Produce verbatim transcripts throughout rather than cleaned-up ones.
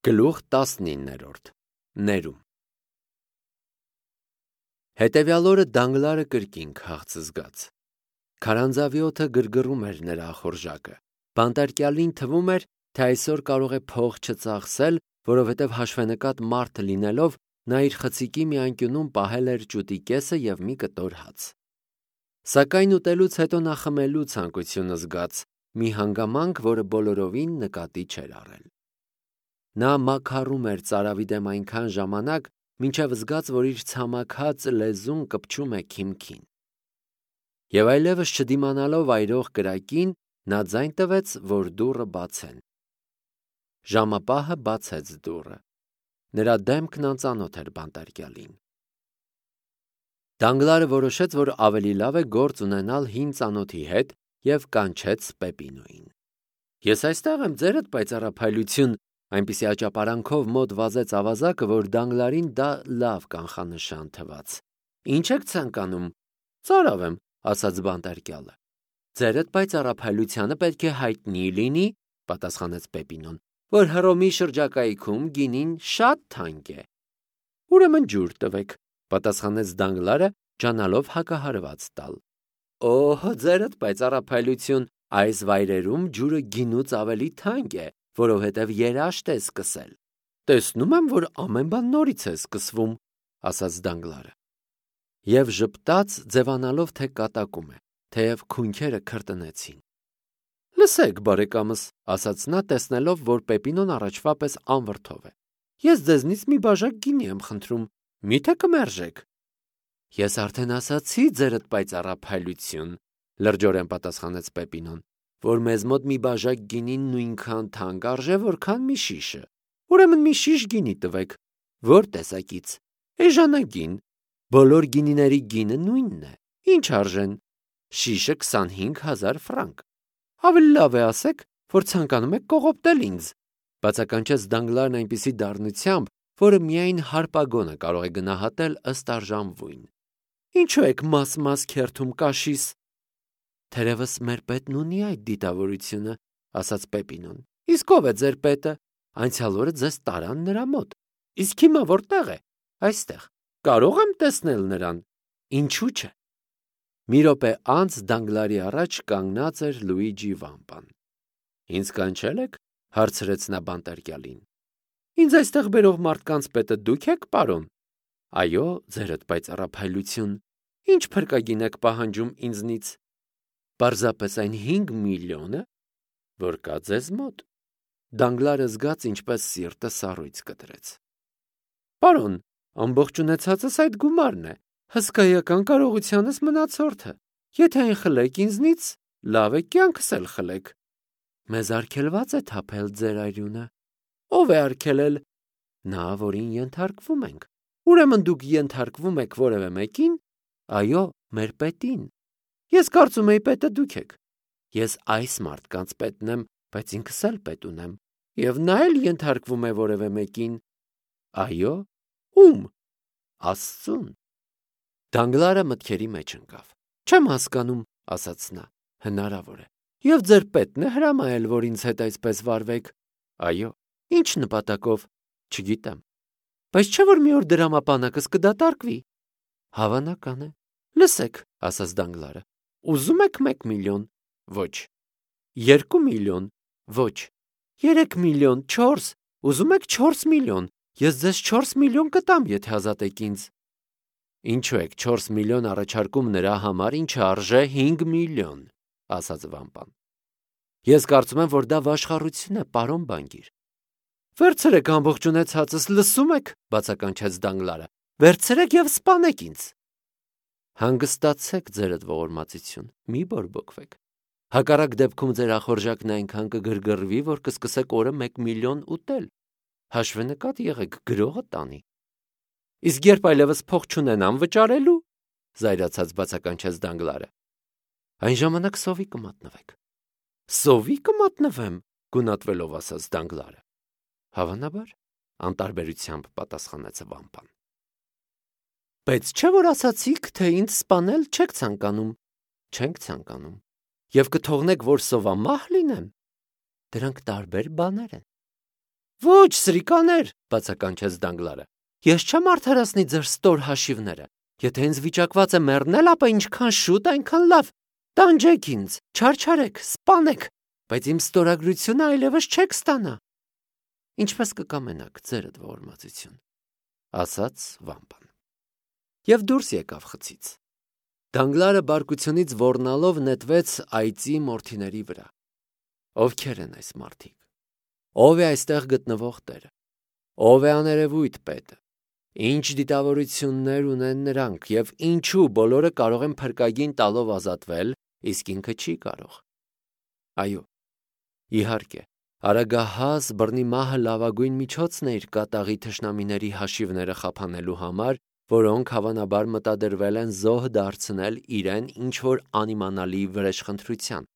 Գլուխ տասնիններորդ Ներում Հետևյալ օրը Դանգլարը կրկին քաղց զգաց։ Քարանձավի օդը գրգռում էր նրա ախորժակը։ Բանտարկյալին թվում էր, թե այսօր կարող է փող չծախսել, որովհետև հաշվենկատ մարդ լինելով նա իր խցիկի մի անկյունում պահել էր ճուտի կեսը և մի կտոր հաց։ Սակայն ուտելուց հետո նա խմելու ցանկություն զգաց, մի հանգամանք, որը բոլորովին նկատի չէր առել։ Նա մաքարում էր ծարավի դեմ այնքան ժամանակ, մինչև զգաց, որ իր ցամաքած լեզուն կպչում է քիմքին։ Եվ այլևս չդիմանալով այրող կրակին, նա ձայն տվեց, որ դուռը բացեն։ Ժամապահը բացեց դուռը։ Նրա դեմքն անծանոթ էր բանտարկյալին։ Դանգլարը որոշեց, որ ավելի լավ է գործ ունենալ հին ծանոթի հետ և կանչեց Պեպինոյին։ Ես այստեղ եմ, ձերդ պայծառափայլություն, այնպիսի աճապարանքով մոտ վազեց ավազակը, որ Դանգլարին դա լավ կանխանշան թվաց։ Ինչ եք ցանկանում։ Ծարավ եմ, ասաց բանտարկյալը։ Ձերդ պայծառափայլությանը պետք է հայտնի լինի, պատասխանեց Պեպինոն, որ Հռոմի շրջակայքում գինին շատ թանկ է։ Ուրեմն ջուր տվեք, պատասխանեց Դանգլարը, ջանալով հակահարված տալ։ Օհ, ձերդ պայծառափայլություն, այս վայրերում ջուրը գինուց ավելի թանկ է, որովհետև երաշտ է սկսել։ Տեսնում եմ, որ ամեն բան նորից է սկսվում, ասաց Դանգլարը։ Եվ ժպտաց, ձևանալով, թե կատակում է, թեև քունքերը քրտնեցին։ Լսեք, բարեկամս, ասաց նա, տեսնելով, որ Պեպինոն առաջվա պես անվրդով է։ Ես ձեզնից մի բաժակ գինի եմ խնդրում, միթե կմերժեք։ Ես արդեն ասացի, ձերդ պայծառափայլություն, լրջորեն պատասխանեց Պեպինոն, որ մեզ մոտ մի բաժակ գինին նույնքան թանկ արժե, որքան մի շիշը։ Ուրեմն մի շիշ գինի տվեք։ Որ տեսակից։ Էժանագին։ Բոլոր գինիների գինը նույնն է։ Ինչ արժեն։ Շիշը քսանհինգ հազար ֆրանկ։ Ավելի լավ է ասեք, որ ցանկանում եք կողոպտել ինձ, բացականչեց Դանգլարն այնպիսի դառնությամբ, որը միայն հարպագոնը կարող է գնահատել ըստ արժանվույն։ Ինչու եք մաս-մաս քերթում կաշիս։ Թերևս մեր պետն ունի այդ դիտավորությունը, ասաց Պեպինոն։ Իսկ ով է ձեր պետը։ Անցյալ օրը ձեզ տարան նրա մոտ։ Իսկ հիմա որտեղ է։ Այստեղ։ Կարող եմ տեսնել նրան։ Ինչու՞ չէ։ Մի րոպե անց Դանգլարի առաջ կանգնած էր Լուիջի Վամպան։ Ինձ կանչել եք, հարցրեց նա բանտարկյալին։ Ինձ այստեղ բերող մարդկանց պետը դուք եք, պարոն։ Այո, ձերդ պայծառափայլություն։ Ինչ փրկագին եք պահանջում ինձնից։ Պարզապես այն հինգ միլիոնը, որ կա ձեզ մոտ։ Դանգլարը զգաց, ինչպես սիրտը սառույց կտրեց։ Պարոն, ամբողջ ունեցածս այդ գումարն է, հսկայական կարողությանս մնացորդը։ Եթե այն խլեք ինձնից, լավ է կյանքս էլ խլեք։ Մեզ արգելված է թափել ձեր արյունը։ Ով է արգելել։ Նա, որին ենթարկվում ենք։ Ուրեմն դուք ենթարկվում եք որևէ մեկին։ Այո, մեր պետին։ Ես կարծում էի պետը դուք եք։ Ես այս մարդկանց պետն եմ, բայց ինքս էլ պետ ունեմ։ Եվ նա էլ ենթարկվում է որևէ մեկին։ Այո, ում։ Աստծուն։ Դանգլարը մտքերի մեջ ընկավ։ Չեմ հասկանում, ասաց նա։ Հնարավոր է։ Եվ ձեր պետն է հրամայել, որ ինձ հետ այսպես վարվեք։ Այո։ Ինչ նպատակով։ Չգիտեմ։ Բայց չէ՞ որ մի օր դրամապանակս կդատարկվի։ Հավանական է։ Լսեք, ասաց Դանգլարը։ Ուզում եք մեկ միլիոն։ Ոչ։ Երկու միլիոն։ Ոչ։ Երեք միլիոն, չորս։ Ուզում եք չորս միլիոն։ Ես ձեզ չորս միլիոն կտամ, եթե ազատեք ինձ։ Ինչու եք չորս միլիոն առաջարկում նրա համար, ինչը արժե հինգ միլիոն, ասաց Վամպան։ Ես կարծում եմ, որ դա վաշխառություն է, պարոն բանկիր։ Վերցրեք ամբողջ ունեցածս, լսում եք, բացականչեց Դանգլարը։ Վերցրեք եւ սպանեք ինձ։ Հանգստացեք, ձերդ ողորմածություն, մի բորբոքվեք։ Հակառակ դեպքում ձեր ախորժակն այնքան կգրգռվի, որ կսկսեք օրը մեկ միլիոն ուտել։ Հաշվենկատ եղեք, գրողը տանի։ Իսկ երբ այլևս փող չունենամ վճարելու, զայրացած բացականչեց Դանգլարը։ Այն ժամանակ սովի կմատնվեք։ Սովի կմատնվեմ, գունատվելով ասաց Դանգլարը։ Հավանաբար, անտարբերությամբ պատասխանեց Վամպան։ Բայց չէ՞ որ ասացիք, թե ինձ սպանել չեք ցանկանում։ Չենք ցանկանում։ Եվ կթողնեք, որ սովամահ լինեմ։ Դրանք տարբեր բաներ են։ Ոչ, սրիկաներ, բացականչեց Դանգլարը։ Ես չեմ արդարացնի ձեր ստոր հաշիվները։ Եթե ինձ վիճակված է մեռնել, ապա ինչքան շուտ, այնքան լավ։ Տանջեք ինձ, չարչարեք, սպանեք, բայց իմ ստորագրությունը այլևս չեք ստանա։ Ինչպես կկամենաք, ձերդ ողորմածություն, ասաց վամպան։ Եվ դուրս եկավ խցից։ Դանգլարը բարկությունից ոռնալով նետվեց այծի մորթիների վրա։ Ովքեր են այս մարդիկ։ Ով է այստեղ գտնվող տերը։ Ով է աներևույթ պետը։ Ինչ դիտավորություններ ունեն նրանք եւ ինչու բոլորը կարող են փրկագին տալով ազատվել, իսկ ինքը չի կարող։ Այո, իհարկե, արագահաս բռնի մահը լավագույն միջոցն է իր կատաղի թշնամիների հաշիվները խափանելու համար, որոնք հավանաբար մտադրվել են զոհ դարձնել իրեն ինչ-որ անիմանալի վրեժխնդրության։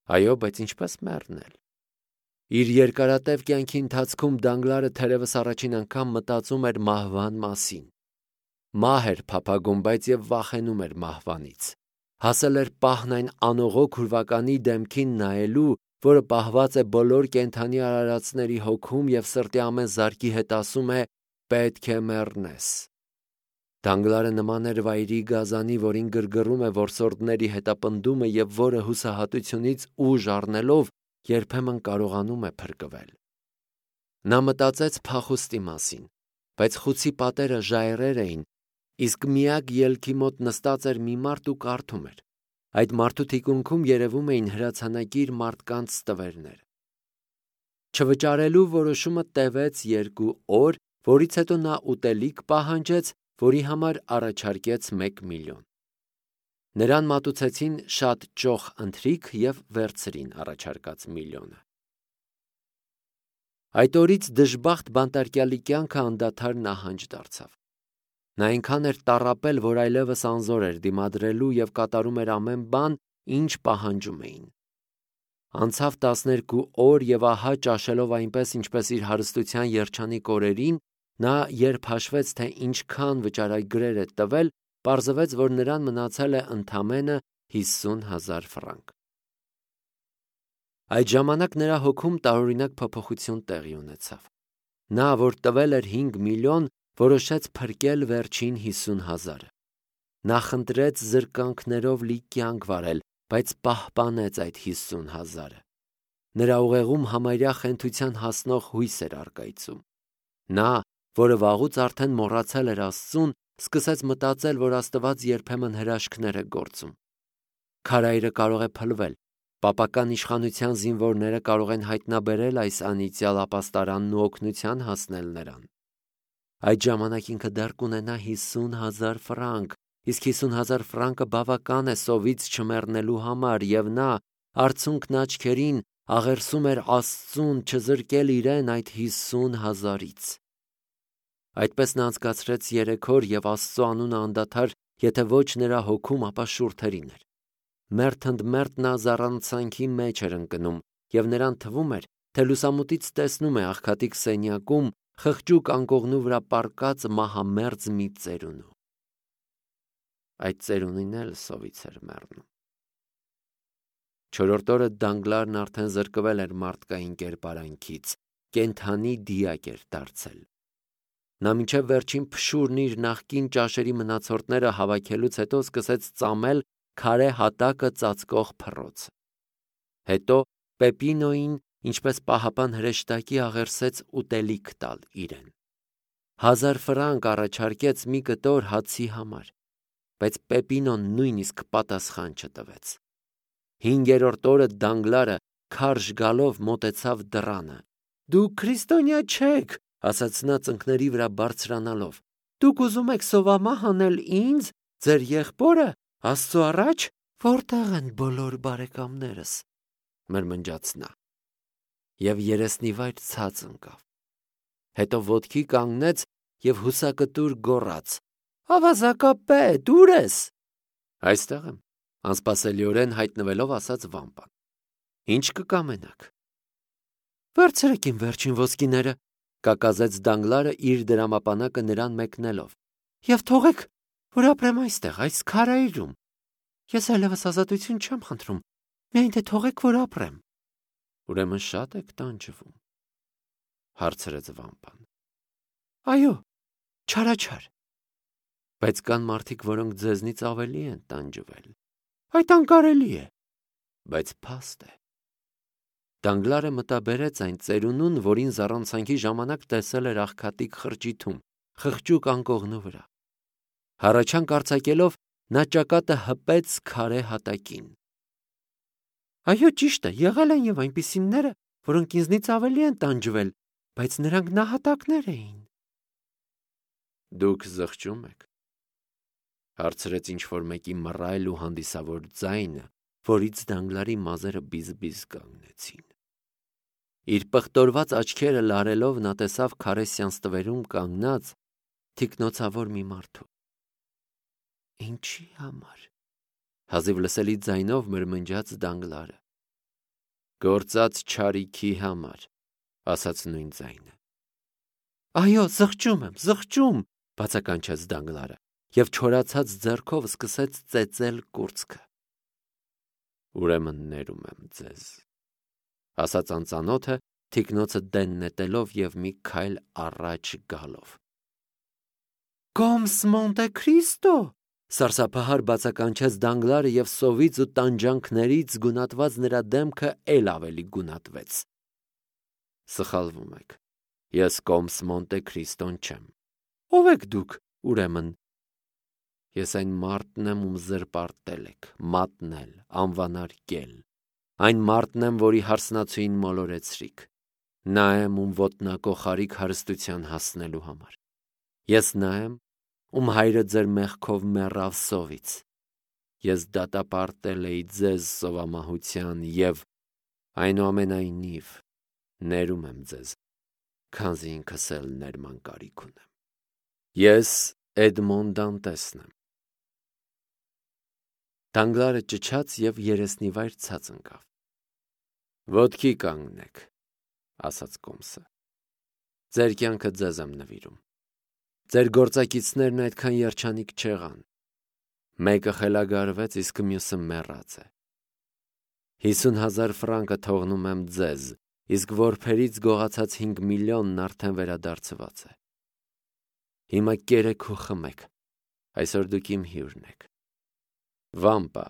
Այո, բայց ինչպես մեռնել։ Իր երկարատև կյանքի ընթացքում Դանգլարը թերևս առաջին անգամ մտածում էր մահվան մասին։ Մահ էր փափագում, բայց եւ վախենում էր մահվանից։ Հասել էր պահն այն անողոք ուրվականի դեմքին նայելու, որը պահված է բոլոր կենդանի արարածների հոգում եւ սրտի ամեն զարկի հետ ասում է. «Պետք է մեռնես»։ Դանգլարը նման էր վայրի գազանի, որին գրգռում է որսորդների հետապնդումը եւ որը հուսահատությունից ուժ առնելով երբեմն կարողանում է փրկվել։ Նա մտածեց փախուստի մասին, բայց խուցի պատերը ժայռեր էին, իսկ միակ ելքի մոտ նստած էր մի մարդ ու կարդում էր։ Այդ մարդու թիկունքում երևում էին հրացանակիր մարդկանց տվերներ։ Չվճարելու որոշումը տևեց երկու օր, որից հետո նա ուտելիք պահանջեց, որի համար առաջարկեց մեկ միլիոն։ Նրան մատուցեցին շատ ճոխ ընթրիք և վերցրին առաջարկած միլիոնը։ Այդ օրից դժբախտ բանտարկյալի կյանքը անդադար նահանջ դարձավ։ Նա այնքան էր տառապել, որ այլևս անզոր էր դիմադրելու և կատարում էր ամեն բան, ինչ պահանջում էին։ Անցավ տասներկու օր և ահա ճաշելով այնպես, ինչպես իր հարստության երջանիկ օրերին, նա երբ հաշվեց, թե ինչքան վճարագրեր է տվել, պարզվեց, որ նրան մնացել է ընդամենը հիսուն հազար ֆրանկ։ Այդ ժամանակ նրա հոգում տարօրինակ փոփոխություն տեղի ունեցավ։ Նա, որ տվել էր հինգ միլիոն, որոշեց փրկել վերջին հիսուն հազարը։ Նա խնդրեց զրկանքներով լի կյանք վարել, բայց պահպանեց այդ հիսուն հազարը։ Նրա ուղեղում համարյա խենթության հասնող հույս էր առկայծում։ Նա, որը վաղուց արդեն մոռացել էր Աստծուն, սկսեց մտածել, որ Աստված երբեմն հրաշքներ է գործում։ Քարայրը կարող է փլվել, պապական իշխանության զինվորները կարող են հայտնաբերել այս անիծյալ ապաստարանն ու օգնության հասնել նրան։ Այդ ժամանակ ինքը դեռ կունենա հիսուն հազար ֆրանկ, իսկ հիսուն հազար ֆրանկը բավական է սովից չմեռնելու համար, և նա արցունքն աչքերին աղերսում էր Աստծուն չզրկել իրեն այդ հիսուն հազարից։ Այդպես նա անցկացրեց երեք օր և Աստծո անունը անդադար, եթե ոչ նրա հոգում, ապա շուրթերին էր։ Մերթ ընդ մերթ նա զառանցանքի մեջ էր ընկնում, և նրան թվում էր, թե լուսամուտից տեսնում է աղքատիկ սենյակում խղճուկ անկողնու վրա պառկած մահամերձ մի ծերունու։ Այդ ծերունին էլ սովից էր մեռնում։ Չորրորդ օրը Դանգլարն արդեն զրկվել էր մարդկային կերպարանքից, կենդանի դիակ էր դարձել։ Նա մինչև վերջին փշուրն իր նախկին ճաշերի մնացորդները հավաքելուց հետո սկսեց ծամել քարե հատակը ծածկող փռոցը։ Հետո Պեպինոյին, ինչպես պահապան հրեշտակի, աղերսեց ուտելիք տալ իրեն։ Հազար ֆրանկ առաջարկեց մի կտոր հացի համար, բայց Պեպինոն նույնիսկ պատասխան չտվեց։ Հինգերորդ օրը Դանգլարը քարշ գալով մոտեցավ դռանը։ «Դուք քրիստոնյա չեք», ասաց նա ծնկների վրա բարձրանալով։ «Դուք ուզում եք սովամահ անել ինձ, ձեր եղբորը, Աստծո առաջ, որտեղ են բոլոր բարեկամներս», մրմնջաց նա, և երեսնիվայր ցած ընկավ։ Հետո ոտքի կանգնեց և հուսակտուր գոռաց. «Ավազակապետ, ո՞ւր ես»։ «Այստեղ եմ», անսպասելիորեն հայտնվելով ասաց վամպան։ «Ինչ կկամենաք»։ «Վերցրեք իմ վերջին ոսկիները», կակազեց Դանգլարը իր դրամապանակը նրան մեկնելով, «և թողեք, որ ապրեմ այստեղ, այս քարայրում։ Ես այլևս ազատություն չեմ խնդրում, միայն թե թողեք, որ ապրեմ»։ «Ուրեմն շատ եք տանջվում»։ հարցրեց վամպան։ Այո, չարաչար։ Բայց կան մարդիկ, որոնք ձեզնից ավելի են տանջվել։ Այդ անկարելի է, բայց փաստ է։ Դանգլարը մտաբերեց այն ծերունուն, որին զառանցանքի ժամանակ տեսել էր աղքատիկ խրճիթում, խղճուկ անկողնու վրա։ Հառաչանք արձակելով նա ճակատը հպեց քարե հատակին։ Այո, ճիշտ է, եղել են եւ այնպիսիները, որոնք ինձնից ավելի են տանջվել, բայց նրանք նահատակներ էին։ Դուք զղջում եք, հարցրեց ինչ-որ մեկի մռայլ ու հանդիսավոր ձայնը, որից Դանգլարի մազերը բիզ-բիզ կանգնեցին։ Իր պղտորված աչքերը լարելով նա տեսավ քարե սյանստվերում կանգնած թիկնոցավոր մի մարդու։ Ինչի համար, հազիվ լսելի ձայնով մրմնջաց Դանգլարը։ Գործած չարիքի համար, ասաց նույն ձայնը։ Այո, զղջում եմ, զղջում, բացականչեց Դանգլարը և չորացած ձեռքով սկսեց ծեծել կուրծքը։ Ուրեմն ներում եմ ձեզ, ասաց անծանոթը թիկնոցը դեն նետելով և մի քայլ առաջ գալով։ Կոմս Մոնտե Քրիստո, սարսափահար բացականչեց Դանգլարը և սովից ու տանջանքներից գունատված նրա դեմքը էլ ավելի գունատվեց։ Սխալվում եք, ես Կոմս Մոնտե Քրիստոն չեմ։ Ո՞վ եք դուք, ուրեմն։ Ես այն մարդն եմ, ում զրպարտել եք, մատնել, անվանարկել, այն մարդն եմ, որի հարսնացուին մոլորեցրիք, նա եմ, ում ոտնակոխարիք հարստության հասնելու համար։ Ես նա եմ, ում հայրը ձեր մեղքով մեռավ սովից։ Ես դատապարտել էի ձեզ սովամահության և այնուամենայնիվ ներում եմ ձեզ, քանզի ինքս էլ ներման կարիք ունեմ։ Ես Էդմոն Դանտեսն եմ։ Դանգլարը ճչաց և երեսնիվայր ցած ընկավ։ Ոտքի կանգնեք, ասաց Կոմսը։ Ձեր կյանքը ձեզ եմ նվիրում։ Ձեր գործակիցներն այդքան երջանիկ չեղան։ Մեկը խելագարվեց, իսկ մյուսը մեռած է։ Հիսուն հազար ֆրանկը թողնում եմ ձեզ, իսկ որբերից գողացած հինգ միլիոնն արդեն վերադարձված է։ Հիմա կերեք ու խմեք, այսօր դուք իմ հյուրն եք։ Վամպա,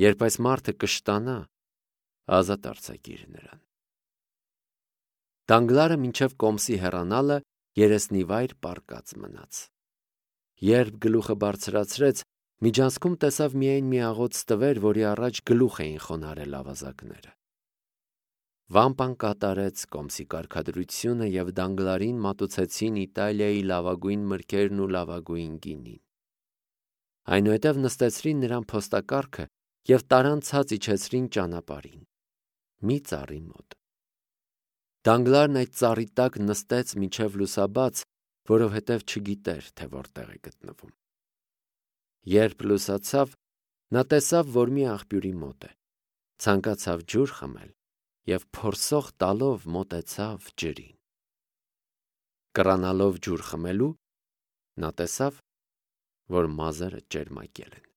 երբ այս մարդը կշտանա, ազատ արձակիր նրան։ Դանգլարը մինչև Կոմսի հեռանալը երեսնիվայր պառկած մնաց։ Երբ գլուխը բարձրացրեց, միջանցքում տեսավ միայն մի աղոց տվեր, որի առաջ գլուխ էին խոնարհել ավազակները։ Վամպան կատարեց Կոմսի կարգադրությունը և Դանգլարին մատուցեցին Իտալիայի լավագույն մրգերն ու լավագույն գինին։ Այնուհետև նստեցրին նրան փոստակառքը և տարան ցած իջեցրին ճանապարհին, մի ծառի մոտ։ Դանգլարն այդ ծառի տակ նստեց մինչև լուսաբաց, որովհետև չգիտեր, թե որտեղ է գտնվում։ Երբ լուսացավ, նա տեսավ, որ մի աղբյուրի մոտ է, ցանկացավ ջուր խմել և փորսող տալով մոտեցավ ջրին։ Կռանալով ջուր խմելու, նա տեսավ, որ մազերը ճերմակել են։